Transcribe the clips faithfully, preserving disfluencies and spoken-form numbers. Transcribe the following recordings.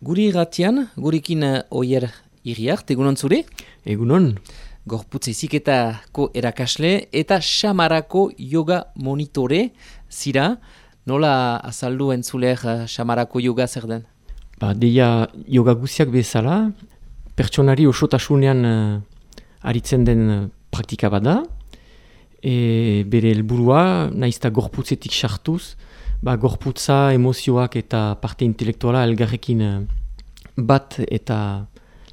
Guri irratian, gurekin uh, Oier Iriart, egunon zure? Egunon. Gorputz eziketako erakasle eta Samarako yoga monitore zira. Nola azaldu entzuler uh, Samarako yoga zer den? Ba, deia yoga guziak bezala, pertsonari osotasunean uh, aritzen den uh, praktika bada, e, bere helburua naizta gorputzetik sartuz, ba, gorputza, emozioak eta parte intelektuala elgarrekin uh, bat eta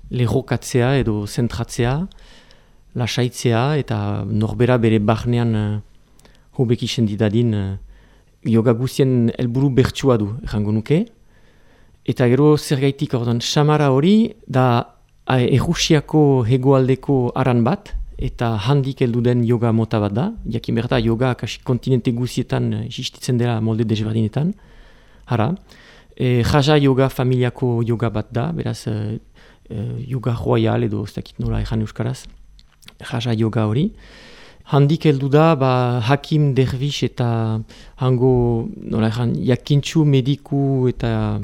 lerrokatzea edo zentratzea, lasaitzea eta norbera bere barnean uh, hobek isen didadin uh, yoga guzien helburu bertsua du, errango nuke. Eta gero zergaitik ordan Samara hori da Errusiako hegoaldeko aran bat, eta handik heldu den yoga mota bat da. Jakin behar da, yoga kasi kontinente guzietan existitzen dela molde desberdinetan. Hara, e, Raja yoga familiako yoga bat da, beraz e, e, yoga royal edo ez dakit nola ejan euskaraz. Raja yoga hori. Handik heldu da, ba, hakim, dervish eta hango, nola ejan, jakintxu, mediku eta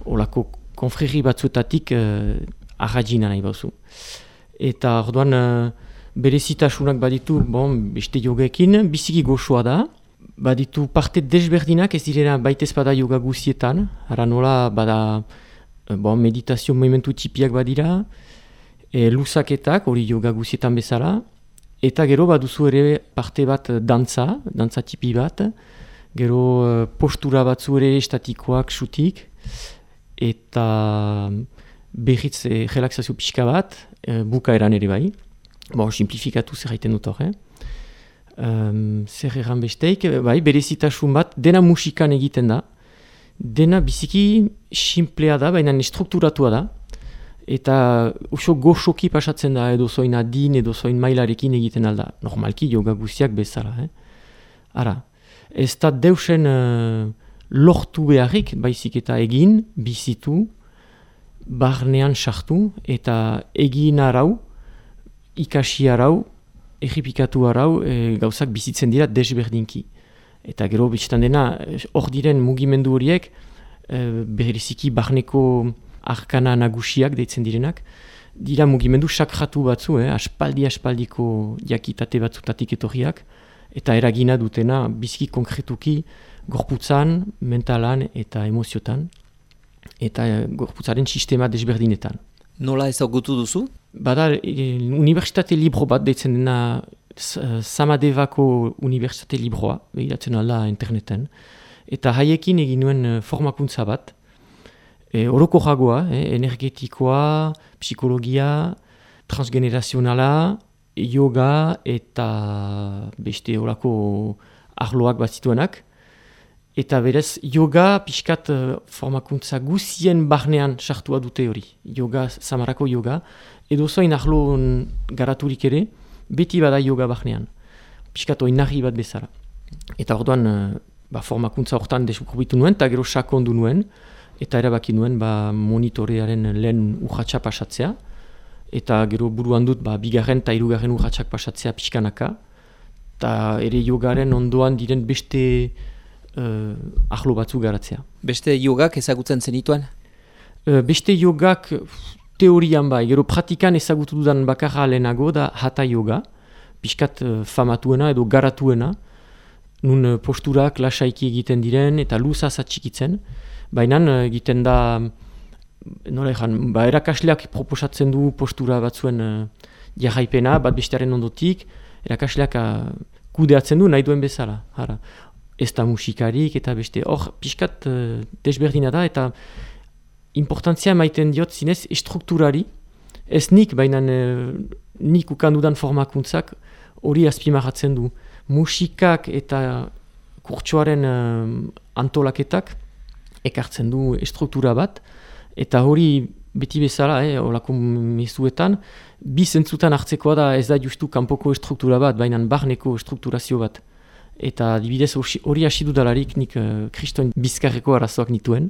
olako konfreri batzuetatik uh, arrajina nahi bauzu. Eta orduan uh, berezitasunak baditu, bon, beste yogekin, biziki goxoa da. Baditu parte desberdinak ez direna baitez bada yoga guzietan. Hara nola bada bon, meditazio movimentu tipiak badira, e, luzaketak, hori yoga guzietan bezala. Eta gero baduzu ere parte bat dantza, dantza tipi bat. Gero uh, postura batzu ere estatikoak, xutik. Eta berriz e, relaxazio pixka bat, e, bukaeran ere bai. Bo, simplifikatu zer haiten dut hor, eh? Um, zer erran besteik, bai, berezitasun bat, dena musikan egiten da. Dena biziki simplea da, baina strukturatua da. Eta oso goxoki pasatzen da, edo zoin adin, edo zoin mailarekin egiten alda. Normalki yoga guziak bezala, eh? Ara, ez da deusen Uh, lortu beharrik, baizik eta egin, bizitu, barnean sartu, eta egin arau, ikasi arau, erripikatu arau, e, gauzak bizitzen dira desberdinki. Eta gero biztan dena, hor diren mugimendu horiek, e, beriziki barneko arkana nagusiak deitzen direnak, dira mugimendu sakratu batzu, eh, aspaldi-aspaldiko jakitate batzutatik etorriak, eta eragina dutena biziki konkretuki gorputzan, mentalan eta emoziotan, eta gorputzaren sistema desberdinetan. Nola ezagutu duzu? Bada, e, Unibertsitate Libro bat deitzen dena Samadevako Unibertsitate Libroa, begiratzen alda interneten, eta haiekin egin nuen formakuntza bat, e, oroko jagoa, eh, energetikoa, psikologia, transgenerazionala, yoga eta beste orako arloak bat zituenak. Eta berez, yoga pixkat uh, formakuntza guzien barnean sartua dute hori. Yoga, Samarako yoga. Edo zoin ahlo garaturik ere, beti bada yoga barnean. Pixkat oinarri bat bezala. Eta orduan, uh, ba, formakuntza hortan deskubritu nuen, eta gero sakondu nuen. Eta erabaki nuen ba, monitorearen lehen urratxa pasatzea. Eta gero buruan dut, ba, bigarren eta hirugarren urratxak pasatzea pixkanaka. Eta ere yogaren ondoan diren beste Uh, ahlo batzu garatzea. Beste yogak ezagutzen zenituen? Uh, beste yogak teorian bai, gero pratikan ezagutu dudan bakarra lehenago da hatha yoga, pixkat uh, famatuena edo garatuena, nun uh, posturak lasaiki egiten diren eta luza zatxikitzen, baina uh, egiten da, nola ezan, ba, erakasleak proposatzen du postura batzuen uh, jarraipena, bat bestearen ondotik, erakasleak uh, kudeatzen du nahi duen bezala. Hara. Ez da musikarik eta beste hor pixkat uh, desberdina da eta importantzia maiten diot zinez estrukturari, ez nik baina uh, nik ukandudan formakuntzak hori azpimarratzen du. Musikak eta kurtsoaren uh, antolaketak ekartzen du estruktura bat eta hori beti bezala, eh, olako mezuetan, bi zentzutan hartzekoa da ez da justu kanpoko estruktura bat, baina barneko estrukturazio bat. Eta adibidez hori hasi dudalarik nik uh, kriston bizkarreko arazoak nituen.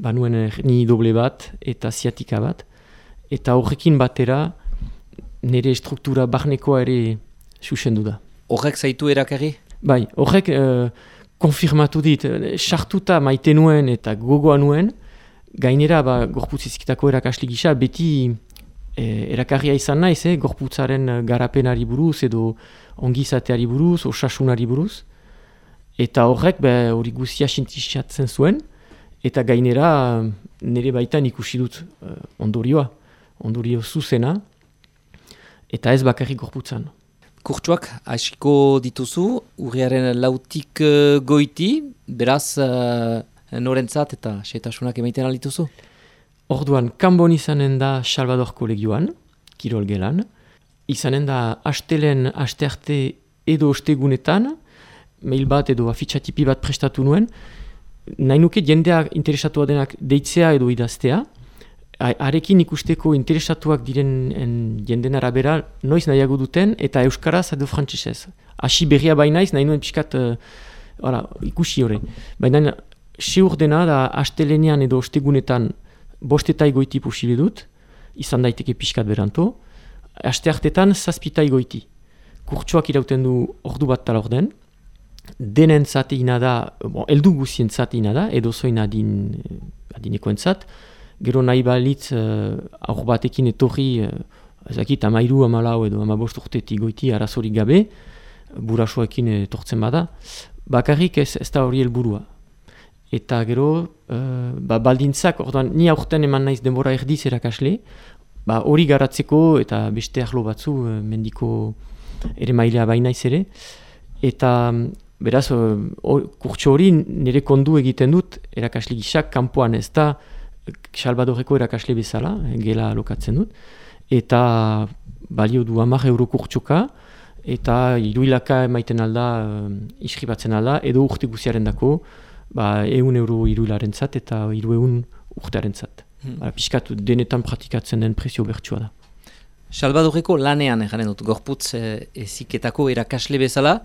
Ba nuen ni doble bat eta ziatika bat. Eta horrekin batera nire struktura barnekoa ere susendu da. Horrek zaitu erakarri? Bai, horrek uh, konfirmatu dit. Sartuta maite nuen eta gogoa nuen, gainera ba, gorputz eziketako erakasle gisa beti e, erakarria izan naiz, eh, gorputzaren garapenari buruz edo ongizateari buruz, osasunari buruz. Eta horrek be, hori guzia sintizatzen zuen, eta gainera nire baitan ikusi dut uh, ondorioa, ondorio zuzena, eta ez bakarrik gorputzan. Kurtsuak hasiko dituzu, urriaren lautik uh, goiti, beraz uh, norentzat eta xetasunak emaiten aldituzu? Orduan, Kanbon izanen da Salvador kolegioan, Kirol gelan, izanen da astelen, astearte edo ostegunetan, mail bat edo afitxatipi bat prestatu nuen, nahi nuke jendeak interesatua denak deitzea edo idaztea, arekin ikusteko interesatuak diren en, jenden arabera noiz nahiago duten eta euskaraz edo frantsesez. Hasi berria bainaiz, nahi nuen pixkat uh, ora, ikusi hori. Baina seur dena da astelenean edo ostegunetan bostetai goiti posible dut, izan daiteke pixkat beranto, asteartetan zazpitai goiti. Kurtsuak irauten du ordu bat tala orden, denen zateina da, bon, eldu guzien zateina da, edo zoin adin, adinekoentzat, gero nahi balitz uh, aur batekin etorri, uh, ezakit, amairu, amalau edo amabost urtetik goiti arazorik gabe, burasoekin etortzen bada, bakarrik ez, ez da hori helburua. Eta gero, uh, ba, baldintzak, orduan, ni aurten eman naiz denbora erdiz erakasle, ba, hori garatzeko eta beste arlo batzu, uh, mendiko ere mailea bainaiz ere, eta beraz, uh, kurtso hori nire kondu egiten dut erakasle gisak, kanpoan ez da, Salvadoreko erakasle bezala, gela lokatzen dut, eta balio du hamar euro kurtsoka, eta hiruilaka emaiten alda, uh, iskribatzen alda, edo urte guziaren dako, ba, ehun euro hiruilarentzat eta hiru ehun urtearentzat. Hmm. Ba, Piskatu denetan praktikatzen den prezio bertsua da. Salvadoreko lanean egaren dut, gorputz eh, eziketako erakasle bezala,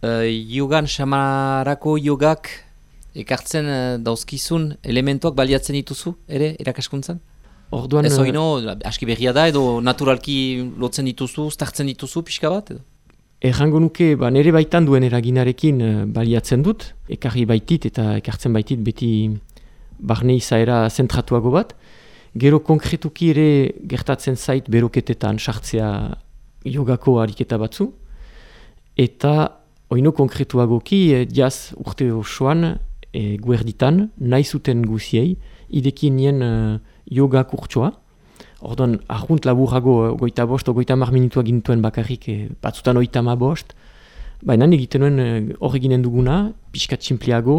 eh, yogan samarako yogak ekartzen uh, dauzkizun elementuak baliatzen dituzu, ere, erakaskuntzan? Orduan... Ez oino, aski berria da, edo naturalki lotzen dituzu, startzen dituzu, pixka bat, edo? Errango nuke, ba, nire baitan duen eraginarekin uh, baliatzen dut, ekarri baitit eta ekartzen baitit beti barne izaera zentratuago bat. Gero konkretuki ere gertatzen zait beroketetan sartzea jogako ariketa batzu. Eta oino konkretuagoki, eh, jaz urte osoan, E, guerditan, nahi zuten guziei, idekin nien uh, yoga kurtsoa. Orduan, ahunt laburago, goita bost, o goita mar minutua gintuen bakarrik, e, batzutan oita ma bost. Baina egiten nuen hor eginen duguna, pixkat simpliago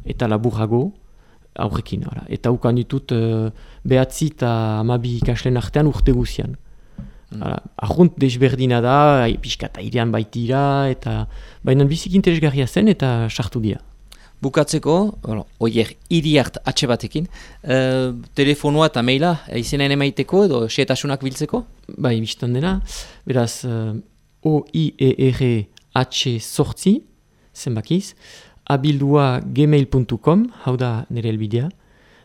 eta laburago aurrekin. Ora. Eta ukan ditut uh, behatzi eta amabi ikaslen artean urte guzian. Mm. Ahunt desberdina da, pixkat airean baitira, eta baina bizik interesgarria zen eta sartu dira. Bukatzeko, oier, iriart atxe batekin, uh, telefonua eta maila izenean emaiteko edo xeetasunak biltzeko? Bai, biztan dena, beraz, uh, O I E R H sortzi, zenbakiz, abildua gmail puntu com, hau da nire elbidea,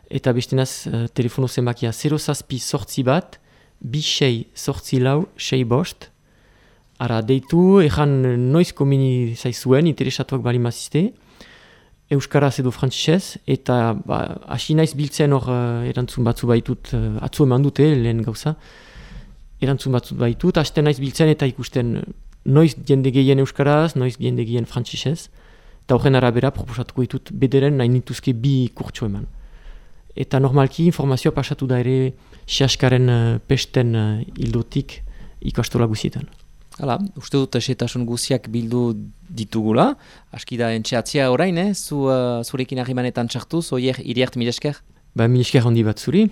eta bestenaz uh, telefono zenbakia zero zazpi sortzi bat, bi sei sortzi lau, sei bost, ara deitu, ejan noiz komini zaizuen, interesatuak bali mazizte, euskaraz edo frantsesez, eta ba, hasi naiz biltzen hor uh, erantzun batzu baitut, uh, atzu eman dute lehen gauza, erantzun batzu baitut, hasten naiz biltzen eta ikusten noiz jende gehien euskaraz, noiz jende gehien frantsesez, eta horren arabera proposatuko ditut bederen nahi nituzke bi kurtso eman. Eta normalki informazioa pasatu da ere Siaskaren uh, pesten uh, hildotik ikastola guzietan. Hala, uste dut esetasun guziak bildu ditugula. Aski da entxeatzia orain, eh? Zu, uh, zurekin ahimanetan txartuz, oier iriart mil esker? Ba, mil esker handi bat zuri.